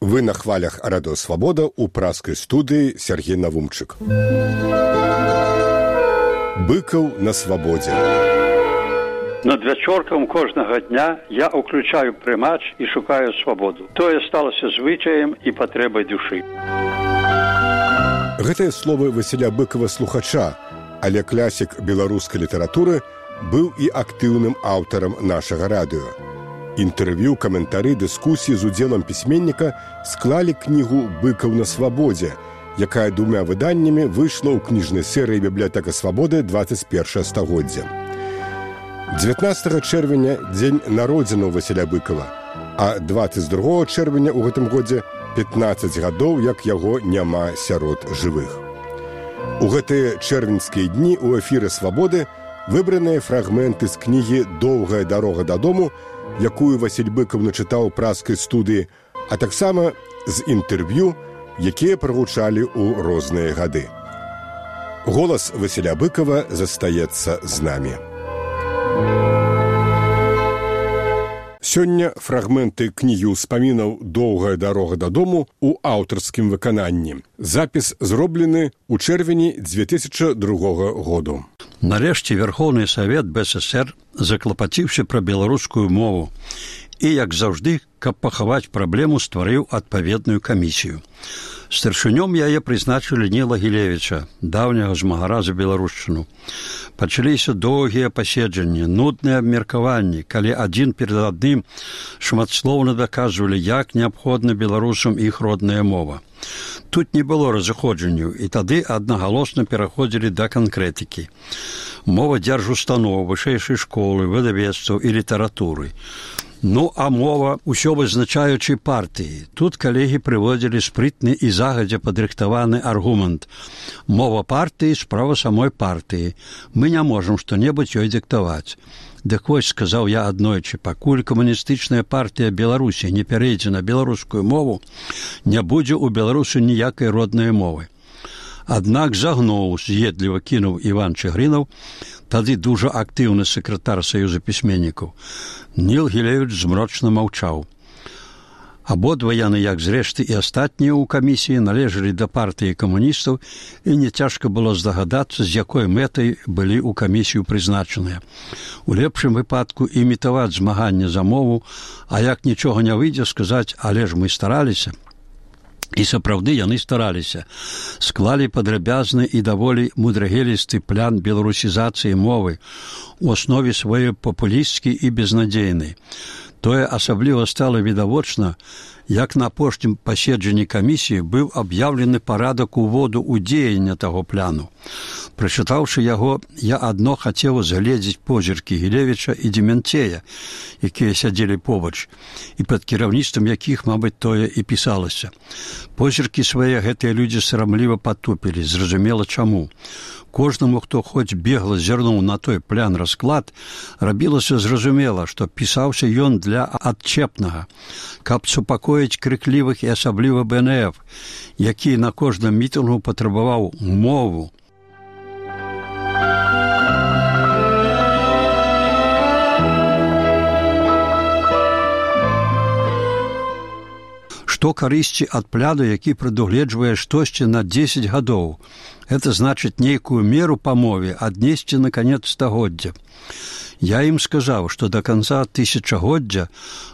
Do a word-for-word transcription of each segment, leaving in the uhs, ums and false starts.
Вы на хвалях Радыё Свабода ў празскай студыі Сергей Навумчык. Быкаў на свабодзе. Над вячоркам кожнага дня я ўключаю прымач і шукаю свабоду. Тое сталася звычаем і патрэбай душы. Гэтыя словы Васіля Быкава слухача, але класік беларускай літаратуры быў і актыўным аўтарам нашага радыё. Інтэрв'ю, каментары, дыскусіі з удзелам пісьменніка склалі кнігу «Быкаў на свабодзе», якая двумя выданнямі выйшла ў кніжнай серыі «Бібліятэка свабоды» дваццаць першае стагоддзя. дзевятнаццатага чэрвеня – дзень народзінаў Васіля Быкава, а дваццаць другога чэрвеня ў гэтым годзе пятнаццаць гадоў, як яго няма сярод жывых. У гэтыя чэрвеньскія дні ў эфіры «Свабоды» выбраныя фрагменты з кнігі «Доўгая дарога дадому», якую Васіль Быкаў начытаў у празскай студыі, а таксама з інтэрв'ю, якія прагучалі ў розныя гады. Голас Васіля Быкава застаецца з намі. Сёння фрагменты кнігі ўспамінаў «Доўгая дарога дадому» у аўтарскім выкананні. Запіс зроблены ў чэрвені дзве тысячы другога году. Нарэшце Верховны Савет БССР заклапаціўся пра беларускую мову і, як заўжды, каб пахаваць праблему, стварыў адпаведную камісію. Старшынём яе прызначылі Ніла Гілевіча, даўняга змагара за беларушчыну. Пачаліся доўгія паседжанні, нудныя абмеркаванні, калі адзін перад адным шматслоўна даказвалі, як неабходна беларусам іх родная мова. Тут не было разыходжанняў, і тады аднагалосна пераходзілі да канкрэтыкі. Мова дзяржустаноў, вышэйшай школы, выдавецтваў і літаратуры. Ну, а мова ўсё вызначаючай партыі. Тут калегі прыводзілі спрытны і загадзя падрыхтаваны аргумент. Мова партыі – справа самой партыі. Мы не можам што-небудзь ёй дыктаваць. Дык вось, сказаў я аднойчы, пакуль камуністычная партыя Беларусі не перейдзе на беларускую мову, не будзе ў Беларусі ніякай роднай мовы. Аднак загнуў, з'едліва кінуў Іван Чыгрынаў, тады дужа актыўны сакратар Саюза пісьменнікаў. Ніл Гілевіч змрочна маўчаў. Абодва яны, як зрэшты і астатнія ў камісіі, належалі да партыі камуністаў, і не цяжка было здагадацца, з якой мэтай былі ў камісію прызначаныя. У лепшым выпадку імітаваць змаганне за мову, а як нічога не выйдзе, сказаць, але ж мы стараліся. І сапраўды яны стараліся. Склалі падрабязны і даволі мудрагелісты план беларусізацыі мовы, у аснове сваёй папулісцкі і безнадзейны. Тое асабліва стала відавочна, як на апошнім паседжанні камісіі быў аб'яўлены парадак уводу ў дзеянне таго плану. Прачытаўшы яго, я адно хацеў згледзець позіркі Гілевіча і Демянцея, якія сядзелі побач, і пад кіраўніцтвам якіх, мабыць, тое і пісалася. Позіркі свае гэтыя людзі сарамліва патупілі, зразумела чаму. Кожнаму, хто хоць бегла зірнуў на той план расклад, рабілася зразумела, што пісаўся ён для адчэпнага, каб супакоіць крыклівых і асабліва Бэ Эн Эф, які на кожным мітынгу патрабаваў мову. Што карысці ад пляну, які прадугледжвае штосьці на дзесяць гадоў. Гэта значыць нейкую меру па мове аднесці на канец стагоддзя. Я ім сказаў, што да канца тысячагоддзя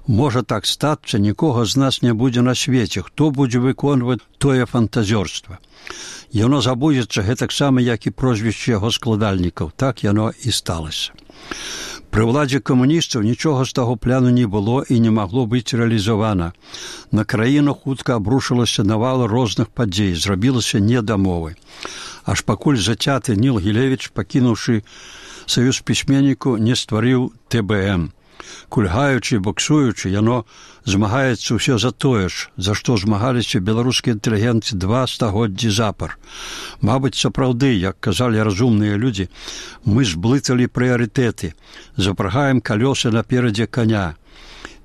можа так стацца, нікога з нас не будзе на свеце, хто будзе выконваць тое фантазёрства. Яно забудзецца гэтаксама, як і прозвішчы яго складальнікаў. Так яно і сталася. Пры ўладзе камуністаў нічога з таго пляну не было і не магло быць рэалізавана. На краіну хутка абрушылася навал розных падзей, зрабілася не да мовы. Аж пакуль зацяты Ніл Гілевіч, пакінуўшы Саюз пісьменніку, не стварыў Тэ Бэ Эм. Кульгаючы і боксуючы, яно змагаецца ўсё за тое ж, за што змагаліся беларускія інтэлігенты два стагоддзі запар. Мабыць, сапраўды, як казалі разумныя людзі, мы зблыталі прыярытэты, запрагаем калёсы наперадзе каня.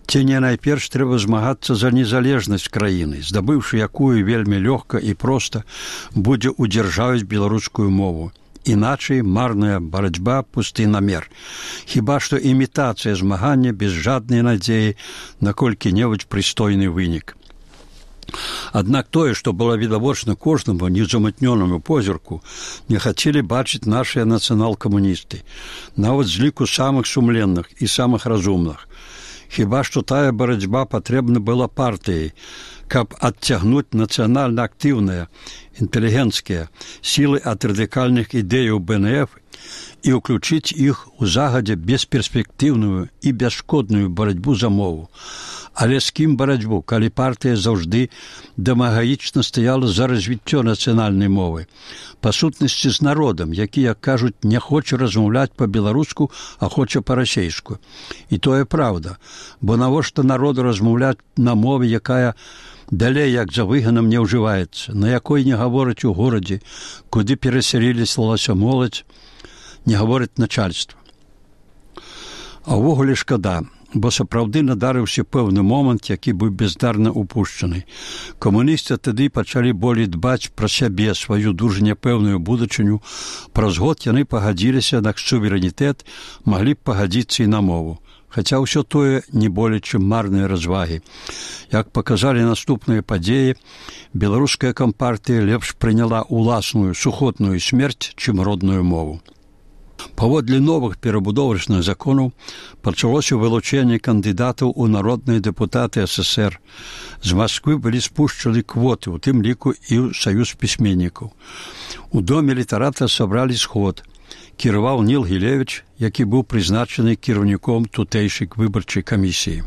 Ці не найперш трэба змагацца за незалежнасць краіны, здабыўшы якую вельмі лёгка і проста будзе удзяржавіць беларускую мову. Іначай марная барацьба, пусты намер. Хіба што імітацыя змагання без жаднай надзеі на колькі-небудзь прыстойны вынік. Аднак тое, што было відавочна кожнаму незамытнёнаму позірку, не хацелі бачыць нашыя нацыянал-камуністы, нават з ліку самых сумленных і самых разумных. Хіба што тая барацьба патрэбна была партыяй, каб адцягнуць нацыянальна актыўныя, інтэлігенцкія сілы ад радыкальных ідэяў бэ эн эф і ўключыць іх у загадзе бесперспектыўную і бясшкодную барацьбу за мову. Але з кім барацьбу, калі партыя заўжды дамагаічна стаяла за развіццё нацыянальнай мовы? Па сутнасці з народам, які, як кажуць, не хоча размаўляць па-беларуску, а хоча па-расейску. І тое праўда, бо навошта народу размаўляць на мове, якая далей, як за выганам, не ўжываецца, на якой не гавораць у горадзе, куды перасяліліся моладзь, не гаворыць начальства. А ўвогуле шкада, бо сапраўды надарыўся пэўны момант, які быў бездарна упушчаны. Камуністы тады пачалі болей дбаць пра сябе, сваю дужа няпэўную будучыню. Праз год яны пагадзіліся на суверэнітэт, маглі б пагадзіцца і на мову. Хаця ўсё тое не болей, чым марныя развагі. Як паказалі наступныя падзеі, беларуская кампартыя лепш прыняла ўласную сухотную смерць, чым родную мову. Паводле новых перабудовачных законаў пачалося вылучэнне кандыдатаў у народныя дэпутаты эс эс ер. З Масквы былі спушчаны квоты, у тым ліку і ў саюз пісьменнікаў. У доме літарата сабралі сход. Кіраваў Ніл Гілевіч, які быў прызначаны кіраўніком тутэйшай выбарчай камісіі.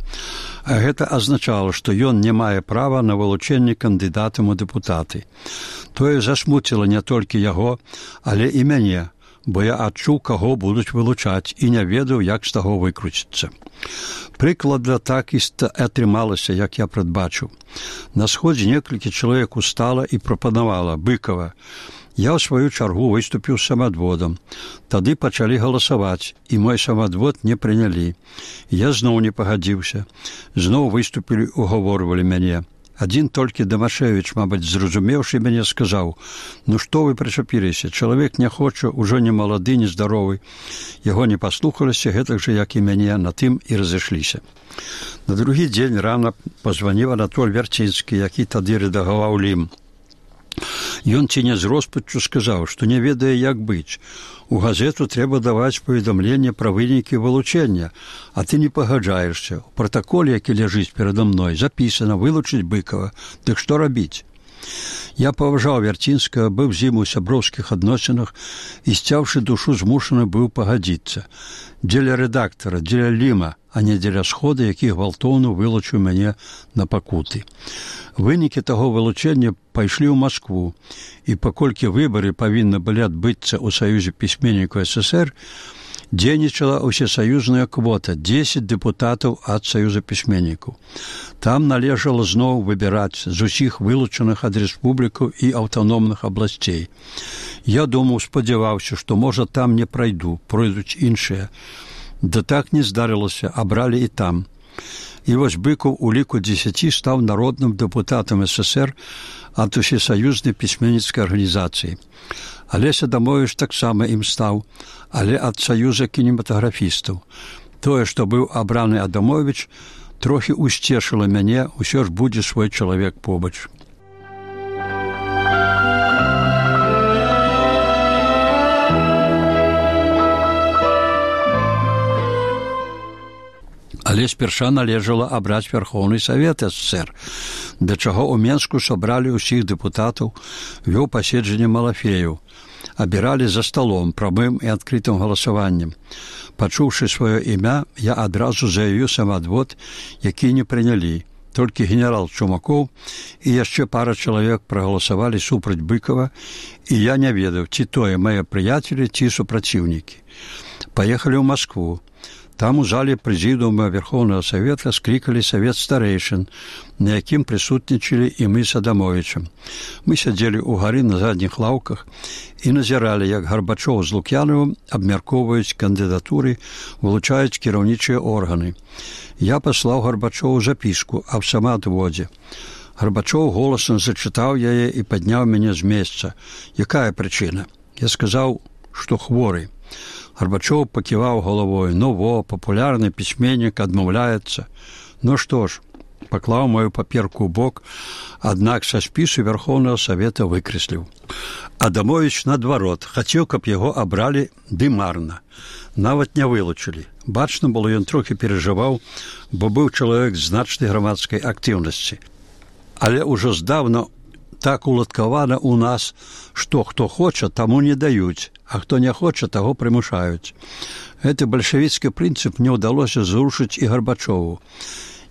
А гэта азначала, што ён не мае права на вылучэнне кандыдатам у дэпутаты. Тое засмуціла не толькі яго, але і мяне, бо я адчуў, каго будуць вылучаць, і не ведаў, як з таго выкруціцца. Прыкладна так і атрымалася, як я прадбачыў. На сходзе некалькі чалавек устала і прапанавала Быкова. Я ў сваю чаргу выступіў самадводам. Тады пачалі галасаваць, і мой самадвод не прынялі. Я зноў не пагадзіўся. Зноў выступілі, угаворвалі мяне. Адзін толькі Дамашевіч, мабыць, зразумеўшы мяне, сказаў: «Ну што вы прычапіліся? Чалавек не хоча, ужо не малады, не здаровы». Яго не паслухаліся, гэтак жа, як і мяне, на тым і разышліся. На другі дзень рана пазваніў Анатоль Вярцінскі, які тады рэдагаваў Лім. Ён ці не з роспаччу сказаў, што не ведае, як быць. У газету трэба даваць паведамленне пра вынікі вылучэння, а ты не пагаджаешся. У пратаколе, які ляжыць перада мной, запісана вылучыць Быкова. Дык што рабіць? Я паважаў Вярцінскага, быў з ім у сяброўскіх адносінах і, сцяўшы душу, змушаны быў пагадзіцца. Дзеля рэдактара, дзеля Ліма, а не дзеля схода, які гвалтоўна вылучыў мяне на пакуты. Вынікі таго вылучэння пайшлі ў Маскву, і паколькі выбары павінны былі адбыцца ў Саюзе пісьменнікаў эс эс ер, дзейнічала ўсесаюзная квота дзесяць дэпутатаў ад Саюза пісьменнікаў. Там належала зноў выбіраць з усіх вылучаных ад рэспублікаў і аўтаномных абласцей. Я думаў, спадзяваўся, што, можа, там не прайду, пройдуць іншыя. Да так не здарылася, абралі і там. І вось Быкаў у ліку дзесяці стаў народным дэпутатам эс эс ер ад усесаюзнай пісьменніцкай арганізацыі. Алеся Адамовіч таксама ім стаў, але ад Саюза кінематаграфістаў. Тое, што быў абраны Адамовіч, трохі усцешыла мяне, усё ж будзе свой чалавек побач. Але спярша належала абраць Верхоўны Савет эс эс ер, да чаго ў Менску сабралі ўсіх дэпутатаў, вёў паседжанне Малафеяў. Абіралі за сталом, прамым і адкрытым галасаваннем. Пачуўшы сваё імя, я адразу заявіў самадвод, які не прынялі. Толькі генерал Чумакоў і яшчэ пара чалавек прагаласавалі супраць Быкова, і я не ведаў, ці тое мае прыяцелі, ці супраціўнікі. Паехалі ў Маскву. Там у зале прэзідыума Верхоўнага Савета склікалі савет старэйшын, на якім прысутнічалі і мы з Адамовічам. Мы сядзелі ў гары на задніх лаўках і назіралі, як Гарбачоў з Лук'янавым абмяркоўваюць кандыдатуры, вылучаюць кіраўнічыя органы. Я паслаў Гарбачову запіску аб самаадводзе. Гарбачоў голасам зачытаў яе і падняў мяне з месца. Якая прычына? Я сказаў, што хворы. Гарбачоў паківаў галавой. Ну во, папулярны пісьменнік адмаўляецца. Ну што ж, паклаў маю паперку ў бок, аднак са спісу Вярхоўнага Савета выкрэсліў. Адамовіч, наадварот, хацеў, каб яго абралі, ды марна. Нават не вылучылі. Бачна было, ён трохі перажываў, бо быў чалавек значнай грамадскай актыўнасці. Але ўжо здаўна так уладкавана ў нас, што хто хоча, таму не даюць, а хто не хоча, таго прымушаюць. Гэты бальшавіцкі прынцып не ўдалося зрушыць і Гарбачову.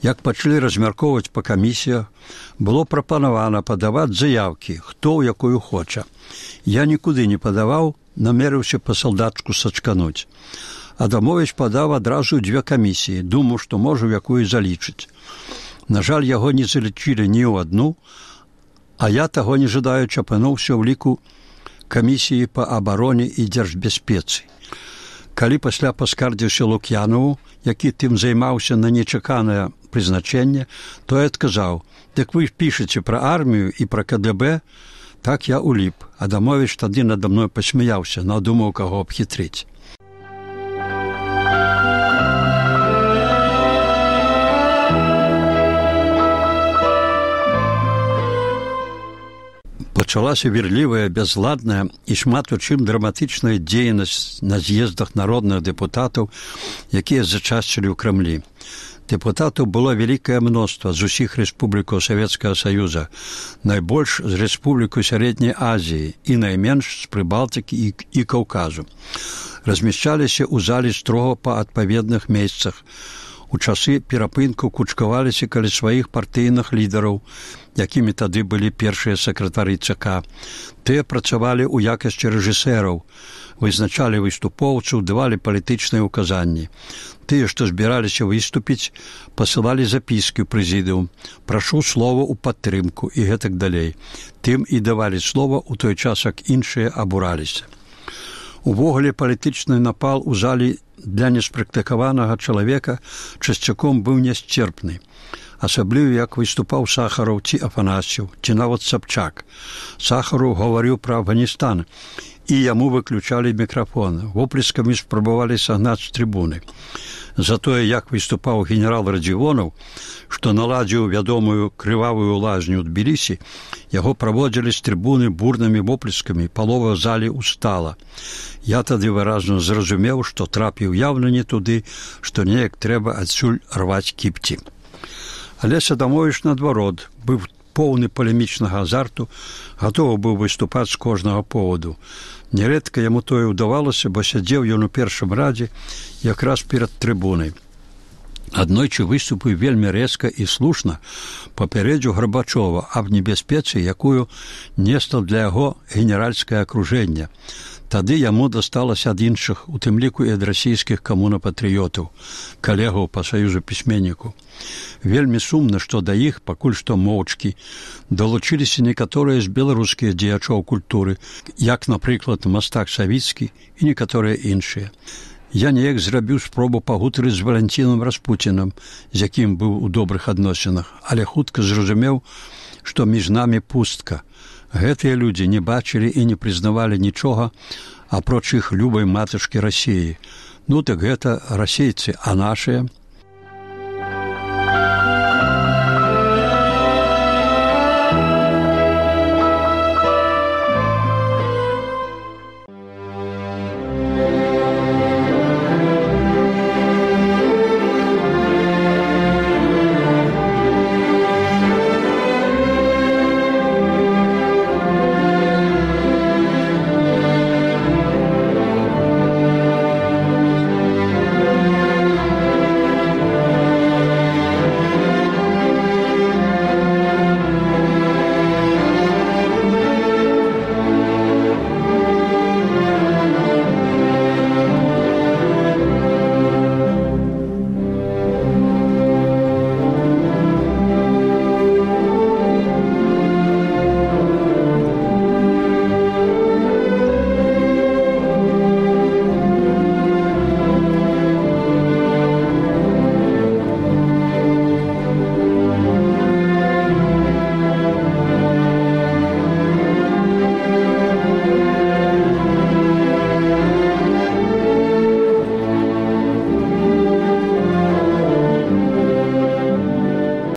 Як пачалі размяркоўваць па камісіях, было прапанавана падаваць заявкі, хто ў якую хоча. Я нікуды не падаваў, намерыўся па салдатчку сачкануць. Адамовіч падаў адразу дзве камісіі, думаў, што можа ў якую залічыць. На жаль, яго не залічылі ні ў адну, а я, таго не жадаючы, апынуўся ў ліку камісіі па абароне і дзяржбяспецы. Калі пасля паскардзіўся Лук'янову, які тым займаўся на нечаканае прызначэнне, то я адказаў: «Дык вы пішаце пра армію і пра ка дэ бэ?» Так я уліп. Адамовіч тады надо мной пасмяяўся, надумаў каго абхітрыць. Пачалася верлівая, бязладная і шмат у чым драматычная дзейнасць на з'ездах народных дэпутатаў, якія зачасцілі ў Крамлі. Дэпутатаў было вялікае мноства з усіх рэспублікаў Савецкага Саюза, найбольш з рэспублікаў Сярэдняй Азіі і найменш з Прыбалтыкі і, і Каўказу. Размяшчаліся ў залі строга па адпаведных месцах. У часы перапынку кучкаваліся каля сваіх партыйных лідараў, якімі тады былі першыя сакратары ЦК. Тыя працавалі ў якасці рэжысэраў, вызначалі выступоўцаў, давалі палітычныя ўказанні. Тыя, што збіраліся выступіць, пасылалі запіскі ў прэзідыум: «Прашу слова ў падтрымку» і гэтак далей. Тым і давалі слова ў той час, як іншыя абураліся. Увогуле палітычны напал у залі для неспрактыкаванага чалавека часцяком быў нясцерпны. Асабліва, як выступаў Сахараў ці Афанасьеў, ці нават Сабчак. Сахараў гаварыў пра Афганістан, і яму выключалі мікрафон. Воплескамі спрабавалі сагнаць з трыбуны. Затое, як выступаў генерал Радзівонаў, што наладзіў вядомую крывавую лазню ў Тбілісі, яго праводзілі з трыбуны бурнымі воплескамі, палова залі устала. Я тады выразна зразумеў, што трапіў яўна не туды, што неяк трэба адсюль рваць кіпці. Але Адамовіч, наадварот, быў поўны палемічнага азарту, гатовы быў выступаць з кожнага поводу. Нярэдка яму тое ўдавалася, бо сядзеў ён у першым радзе якраз перад трыбунай. Аднойчы выступіў вельмі рэзка і слушна, папярэдзіў Гарбачова аб небяспецы, якую несла для яго генеральскае акружэнне. Тады яму дасталася ад іншых, у тым ліку і ад расійскіх камунапатрыётаў, калегаў па саюзу пісьменніку. Вельмі сумна, што да іх, пакуль што моўчкі, далучыліся некаторыя з беларускіх дзеячоў культуры, як, напрыклад, мастак Савіцкі і некаторыя іншыя. Я неяк зрабіў спробу пагутарыць з Валянцінам Распуцінам, з якім быў у добрых адносінах, але хутка зразумеў, што між намі пустка. Гэтыя людзі не бачылі і не прызнавалі нічога, апроч іх любай матачкі Расіі. Ну так гэта расейцы, а нашыя?